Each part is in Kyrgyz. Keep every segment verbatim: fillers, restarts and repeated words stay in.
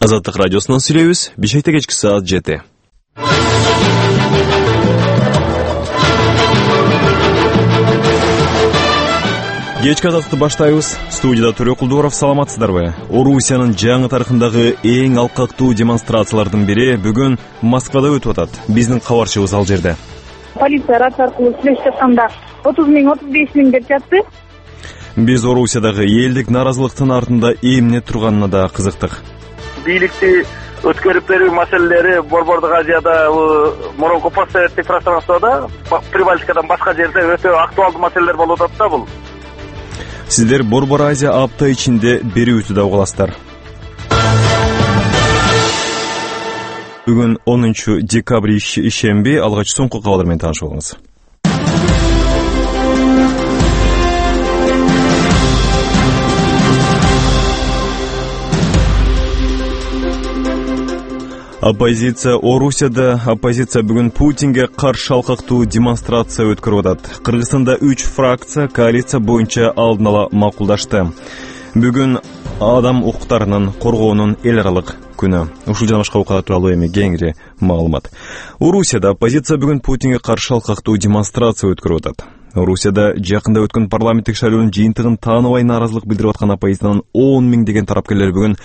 Азаттык радиосунан сүйлөйбүз. Бишкекте кечки саат жети. Кечки азаттыкты баштайбыз. Студияда Төрө Кулдууров, саламатсыздарбы? Орусиянын жаңы тарыхындагы эң алкактуу демонстрациялардын бири бүгүн Москвада өтүп атат. Биздин кабарчыбыз ал жерде. Полиция рация аркылуу сүйлөшүп жатканда отуз миң, отуз беш миң деп жатты. Биз Орусиядагы элдик нааразылыктын артында эмне турганына да кызыктык. Бийликти өткөрүп берүү маселелери Борбордук Азияда, мурунку постсоветтик пространствода, Прибалтикадан башка жерде өтө актуалдуу маселелер болуп атат да бул. Сиздер Борбор Азия апта ичинде берүүтү да угасыздар. Бүгүн онунчу декабрь ишемби, алгач соңку кабарлар менен таанышып алыңыз. Оппозиция Орусияда оппозиция бүгүн Путинге каршы алкактуу демонстрация өткөрүп атат. Кыргызстанда үч фракция коалиция боюнча алдын ала макулдашты. Бүгүн адам укуктарынын коргоонун эл аралык күнү. Ушул жана башка окуялар тууралуу эми кеңири маалымат. Орусияда оппозиция бүгүн Путинге каршы алкактуу демонстрация өткөрүп атат. Орусияда жакында өткөн парламенттик шайлоонун жыйынтыгын тааныбай нааразылык билдирип аткан оппозициянын он миң деген тарапкерлери бүгүн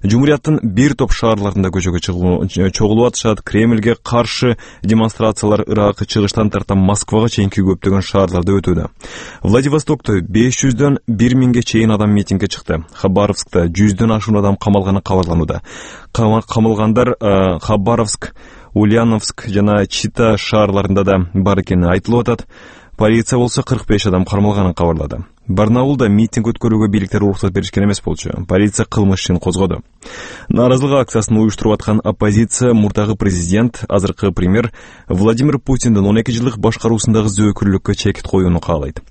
Жумурияттын бир топ шаарларында көчөгө чогулуп атышат. Кремльге каршы демонстрациялар Ирак, чыгыштан тарта Москвага чейинки көптөгөн шаарларда өтүүдө. Владивостокто беш жүздөн бир миңге чейин адам митингге чыкты. Хабаровскта жүздөн ашуун адам камалганы кабарланууда. Камалгандар Хабаровск, Ульяновск жана Чита шаарларында да бар экени айтылып атат. Полиция болсо кырк беш адам кармалганын кабарлады. Барнаулда митинг өткөрүүгө бийликтер уруксат беришкен эмес болчу. Полиция кылмыш ишин козгоду. Нааразылык акциясын уюштуруп аткан оппозиция мурдагы президент, азыркы премьер Владимир Путиндин он эки жылдык башкаруусундагы зөөкүрлүккө чекит коюуну каалайт.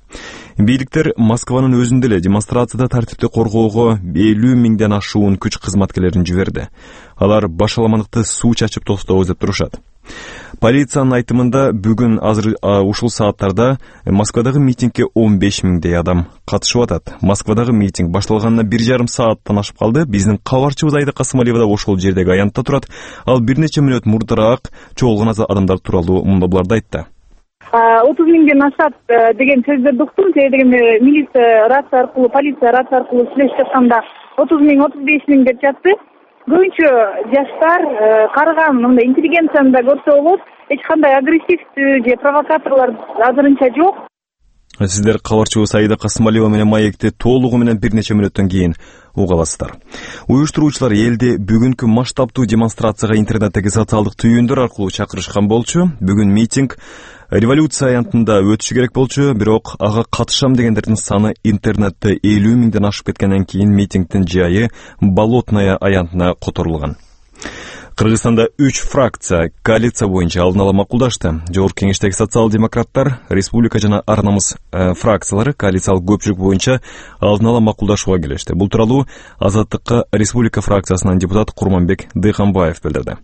Бийликтер Москванын өзүндө эле демонстрацияда тартипти коргоого элүү миңден ашуун күч кызматкерлерин жиберди. Алар башаламандыкты суу чачып тостобуз деп турушат. Полициянын айтымында бүгүн азыр ушул сааттарда Москвадагы митингге он беш миңдей адам катышып атат. Москвадагы митинг башталганына бир жарым сааттан ашып калды. Биздин кабарчыбыз Айда Касымалиева да ошол жердеги аянтта турат. Ал бир нече мүнөт мурдараак чогулган адамдар тууралуу мындайларды айтты. отуз миңден ашат деген сөздөрдү уктум. Себеби дегенде милиция рация аркылуу, полиция рация аркылуу сүйлөшүп жатканда отуз миң, отуз беш миң деп жатты. Көбүнчө жаштар, карыган, мындай интеллигенцияны да көрсө болот. Эч кандай агрессивдүү же провокаторлор азырынча жок. Сиздер кабарчыбыз Айда Касымалиева менен маекти толугу менен бир нече мүнөттөн кийин уга аласыздар. Уюштуруучулар элди бүгүнкү масштабтуу демонстрацияга интернеттеги социалдык түйүндөр аркылуу чакырышкан болчу. Бүгүн митинг революция аянтында өтүшү керек болчу, бирок ага катышам дегендердин саны интернетте элүү миңден ашып кеткенден кийин митингдин жайы Болотная аянтына которулган. Кыргызстанда үч фракция коалиция боюнча алдын ала макулдашты. Жогорку кеңештеги социал-демократтар, республика жана ар намыс э, фракциялары коалициялык көпчүлүк боюнча алдын ала макулдашууга келишти. Бул тууралуу Азаттыкка республика фракциясынан депутат Курманбек Дыйханбаев билдирди.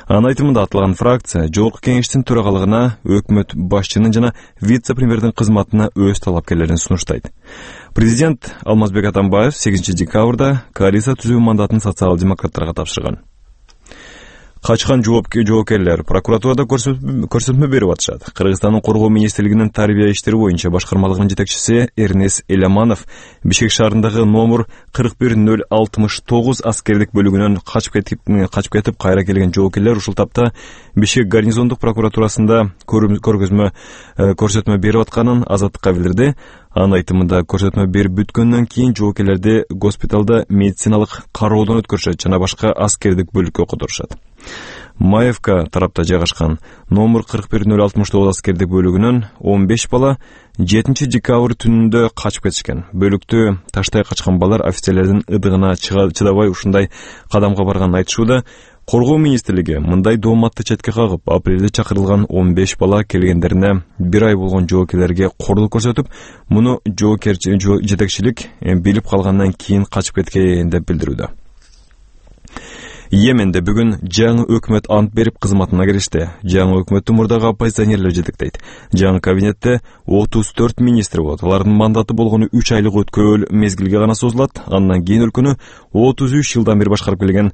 Анын айтымында аталган фракция жогорку кеңештин төрагалыгына, өкмөт башчынын жана вице-премьердин кызматына өз талапкерлерин сунуштайт. Президент Алмазбек Атамбаев сегизинчи декабрда коалиция түзүү мандатын социал-демократтарга тапшырган. Качкан жоопкерлер прокуратурада көрсөтмө берип атышат. Кыргызстандын коргоо министрлигинин тарбия иштери боюнча башкармалыгынын жетекчиси Эрнес Элеманов Бишкек шаарындагы номер кырк бир нөл алтымыш тогуз аскердик бөлүгүнөн качып кетип качып кетип кайра келген жоопкерлер ушул тапта Бишкек гарнизондук прокуратурасында көргөзмө көрсөтмө берип атканын Азаттыкка билдирди. Анын айтымында көрсөтмө берип бүткөндөн кийин жоопкерлерди госпиталда медициналык кароодон өткөрүшөт жана башка аскердик бөлүккө которушат. Маевка тарапта жайгашкан номер кырк бир нөл алтымыш тогуз аскердик бөлүгүнөн он беш бала жетинчи декабрь түнүндө качып кетишкен. Бөлүктү таштай качкан балдар офицерлердин ыдыгына чыдабай ушундай кадамга барганын айтышууда. Коргоо министрлиги мындай дооматты четке кагып, апрелде чакырылган он беш бала келгендерине бир ай болгон жоокерлерге кордук көрсөтүп, муну жоокер жетекчилик билип калгандан кийин качып кеткен деп билдирүүдө. Йеменде бүгүн жаңы өкмөт ант берип кызматына киришти. Жаңы өкмөттү мурдагы оппозиционерлер жетектейт. Жаңы кабинетте отуз төрт министр болот. Алардын мандаты болгону үч айлык өткөл мезгилге гана созулат. Андан кийин өлкөнү отуз үч жылдан бери башкарып келген